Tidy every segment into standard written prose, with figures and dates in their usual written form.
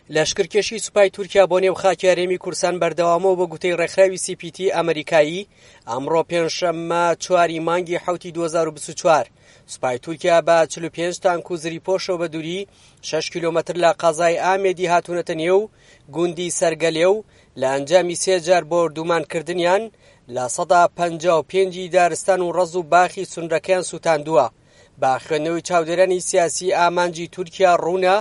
لەشکرکێشی سوپای تورکیا بۆ نێو خاکی هەرێمی کوردستان بەردەوامە و بە گوتەی ڕێکخراوی سی پی تی ئەمریکایی ئەمڕۆ پێنجشەممە چواری مانگی حەوتی 2024 سوپای تورکیا بە 45 تانک و زریپۆشەوە بە دووری 6 کیلۆمەتر لە قەزای ئامێدی هاتوونەتە نێو گوندی سەرگەلێ و لە ئەنجامی سێ جار بۆردومانکردنیان 55% دارستان و ڕەز و باخی سونرەکەیان سووتاندووە. بە خوێندنەوەی چاودێرانی سیاسی ئامانجی تورکیا ڕوونە،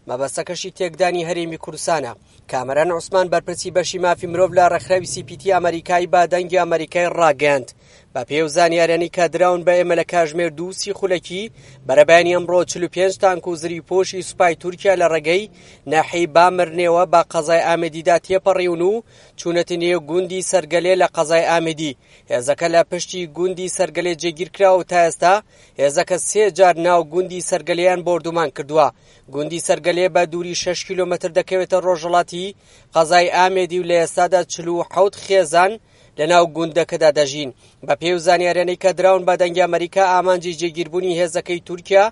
مەبەستەکەشی تێکدانی هەرێمی کوردستانە. کامەران عوسمان بەرپرسی بەشی مافی مرۆڤ لە ڕێکخراوی سی پی تی ئەمەریکایی بە دەنگی ئەمەریکای ڕاگەیاند، بە پێی ئەو زانیاریانەی کە دراون بە ئێمە لە کاژمێر 2:30 خولەکی بەرەبەیانی ئەمڕۆ 45 تانک و زریپۆشی سوپای تورکیا لە ڕێگەی ناحیەی بامرنێوە بە قەزای ئامێدیدا تێپەڕیون و چوونەتە نێو گوندی سەرگەلێ لە قەزای ئامێدی. هێزەکە لە پشتی گوندی سەرگەلێ جێگیرکراوە و تا ئێستا هێزەکە سێ جار ناو گوندی سەرگەلێیان بۆردومان کردووە. گوندی سەرگەلێ بە دووری 6 کیلۆمەتر دەکەوێتە ڕۆژهەڵاتی قەزای ئامێدی و لە ئێستادا 47 خێزان لە ناو گوندەکەدا دەژین. بە پێی ئەو زانیاریانەی کە دراون بە دەنگی ئەمەریکا ئامانجی جێگیربوونی هێزەکەی تورکیا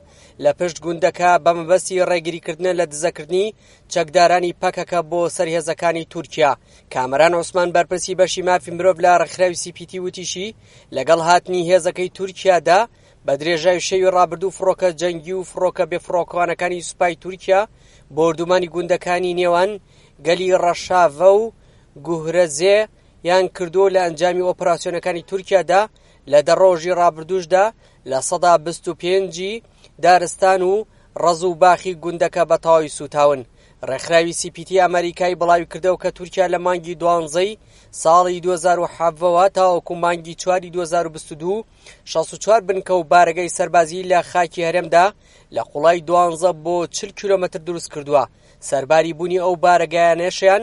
لە پشت گوندەکە بە مەبەستی ڕێگریکردنە لە دزەکردنی چەکدارانی پەکەکە بۆ سەر هێزەکانی تورکیا. کامەران عوسمان بەرپرسی بەشی مافی مرۆڤ لە ڕێکخراوی سی پی تی وتیشی، لەگەڵ هاتنی هێزەکەی تورکیادا بە درێژای شەوی ڕابردوو فڕۆکە جەنگی و فڕۆکە بێفڕۆکەوانەکانی سوپای تورکیا بۆردومانی گوندەکانی نێوان گەلی ڕەشاڤە و گوهرەزێ یان کردووە لە ئەنجامی ئۆپراسیۆنەکانی تورکیادا لە 10 ڕۆژی ڕابردووشدا 25% دارستان و ڕەز و باخی گوندەکە بە تەواوی سووتاون. ڕێکخراوی سی پی تی ئەمەریکای بڵاویکردەوە کە تورکیا لە مانگی دوانزەی ساڵی 2017ەوە تاوەکو مانگی چواری 2022 64 بنکە و بارەگای سەربازی لە خاکی هەرێمدا لە قوڵای 12 بۆ 40 کیلۆمەتر دروست کردووە. سەرباری بوونی ئەو بارەگایانەشیان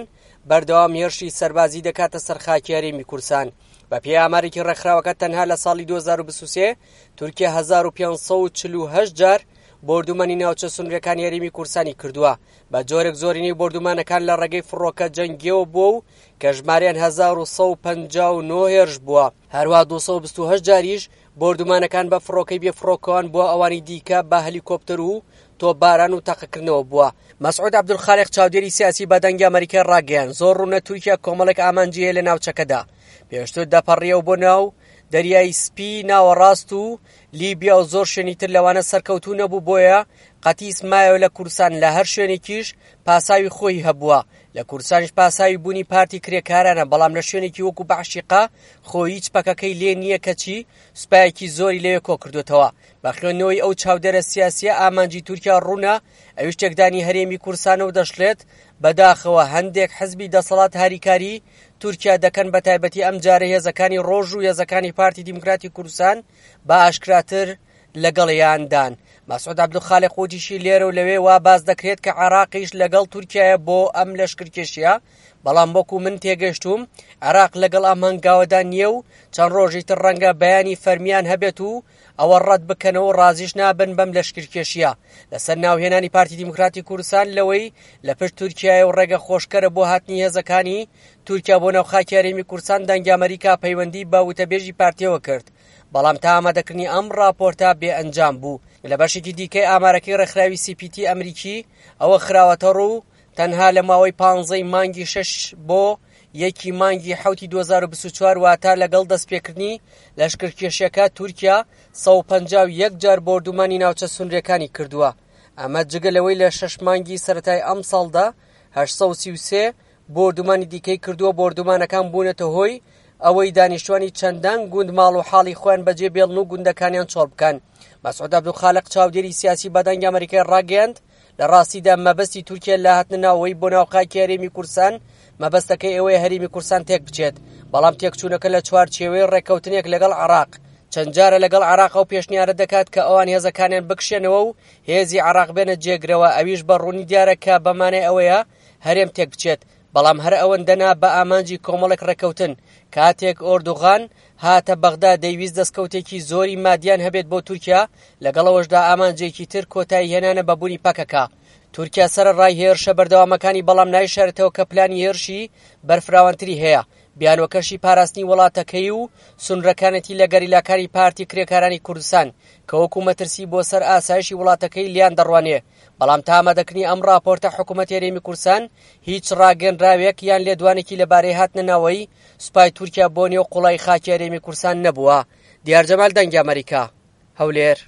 بەردەوام هێرشی سەربازی دەکاتە سەر خاکی هەرێمی کوردستان. بە پێی ئامارێکی ڕێکخراوەکە تەنها لە ساڵی 2023 تورکیا 1548 جار بۆردومانی ناوچە سنووریەکانی هەرێمی کوردستانی کردووە، بە جۆرێک زۆرینەی بۆردومانەکان لە ڕێگەی فڕۆکە جەنگیەوە بووە و کە ژمارەیان 1159 هێرش بووە. هەروە 228 جاریش بۆردومانەکان بە فڕۆکەی بێفڕۆکەوان بووە، ئەوانی دیکە بە هەلیکۆپتەر و تۆپباران و تەقەکردنەوە بووە. مەسعود عەبدولخالق چاودێری سیاسی بە دەنگی ئەمەریکای ڕاگەیاند، زۆر ڕوونە تورکیا کۆمەڵێک ئامانجی هەیە لە ناوچەکەدا، پێشتر دەپەڕیەوە بۆ ناو دەریای سپی ناوەڕاست و لیبیا و زۆر شوێنی تر لەوانە سەرکەوتوو نەبوو، بۆیە قەتیس مایەوە لە کوردستان، لە هەر شوێنێکیش پاساوی خۆی هەبووە، لە کوردستانیش پاساوی بوونی پارتی کرێکارانە، بەڵام لە شوێنێکی وەکو بەعشیقە خۆ هیچ پەکەکەی لێ نییە، کەچی سوپایەکی زۆری لەوێ کۆکردوێتەوە. بە خوێندنەوەی ئەو چاودێرە سیاسیە ئامانجی تورکیا ڕوونە، ئەویش تێکدانی هەرێمی کوردستانە و دەشڵێت بەداخەوە هەندێک حزبی دەسەڵات هاریکاری تورکیا دەکەن، بە تایبەتی ئەم جارە هێزەکانی ڕۆژ و هێزەکانی پارتی دیموکراتی کوردستان بە ئاشکراتر لەگەڵیاندان. مەسعود عەبدولخالق وتیشی لێرە و لەوێ وا باس دەکرێت کە عێراقیش لەگەڵ تورکیایە بۆ ئەم لەشکرکێشیە، بەڵام وەکو من تێگەشتوم عێراق لەگەڵ ئەم هەنگاوەدا نییە و چەند ڕۆژی تر ڕەنگە بەیانی فەرمیان هەبێت و ئەوە ڕەت بکەنەوە و ڕازیش نابن بەم لەشکرکێشیە لەسەر ناوهێنانی پارتی دیموکراتی کوردستان لەوەی لە پشت تورکیایە و ڕێگە خۆشکەرە بۆ هاتنی هێزەکانی تورکیا بۆ ناو خاکی هەرێمی کوردستان. دەنگی ئەمەریکا پەیوەندی بە وتەبێژی پارتیەوە کرد، بەڵام تا ئامادەکردنی ئەم ڕاپۆرتە بێ ئەنجام بوو. لە بەشێکی دیکەی ئامارەکەی ڕێکخراوی سی پی تی ئەمریکی ئەوە خراوەتەڕوو تەنها لە ماوەی پانزەی مانگی شەش بۆ یەکی مانگی حەوتی 2024 واتە لەگەڵ دەستپێکردنی لەشکرکێشیەکە تورکیا 151 جار بۆردومانی ناوچە سنووریەکانی کردووە، ئەمە جگە لەوەی لە شەش مانگی سەرەتای ئەمساڵدا 833 بۆردومانی دیکەی کردووە. بۆردومانەکان بوونەتە هۆی ئەوەی دانیشتوانی چەندان گوند ماڵ و حاڵی خۆیان بەجێ بێڵن و گوندەکانیان چۆڵ بکەن. مەسعود عەبدولخالق چاودێری سیاسی بە دەنگی ئەمەریکای ڕاگەیاند لە ڕاستیدا مەبەستی تورکیا لە هاتنە ناوەوەی بۆ ناو خاکی هەرێمی کوردستان مەبەستەکەی ئەوەیە هەرێمی کوردستان تێک بچێت، بەڵام تێکچوونەکە لە چوارچێوەی ڕێککەوتنێک لەگەڵ عێراق. چەند جارە لەگەڵ عێراق ئەو پێشنیارە دەکات کە ئەوان هێزەکانیان بکشێنەوە و هێزی عێراق بێنە جێگرەوە، ئەویش بە ڕوونی دیارە کە بەمانای ئەوەیە هەرێم تێک بچێت، بەڵام هەر ئەوەندە نا بە ئامانجی کۆمەڵێک ڕێککەوتن. کاتێک ئۆردوغان هاتە بەغدا دەیویست دەستکەوتێکی زۆری مادیان هەبێت بۆ تورکیا، لەگەڵ ئەوەشدا ئامانجێکی تر کۆتایی هێنانە بە بوونی پەکەکە. تورکیا سەرەڕای هێرشە بەردەوامەکانی بەڵام نایشارێتەوە کە پلانی هێرشی بەرفراوانتری هەیە، بیانوەکەشی پاراستنی وڵاتەکەی و سنورەکانێتی لە گەریلاکانی پارتی کرێکارانی کوردستان کە وەکو مەترسی بۆ سەر ئاسایشی وڵاتەکەی لیان دەڕوانێ. بەڵام تا ئامادەکردنی ئەم ڕاپۆرتە حکوومەتی هەرێمی کوردستان هیچ ڕاگەنراوێک یان لێدوانێکی لەبارەی هاتنە ناوەی سوپای تورکیا بۆ نێو قوڵای خاکی هەرێمی کوردستان نەبووە. دیار جەمال دەنگی ئەمەریکا، هەولێر.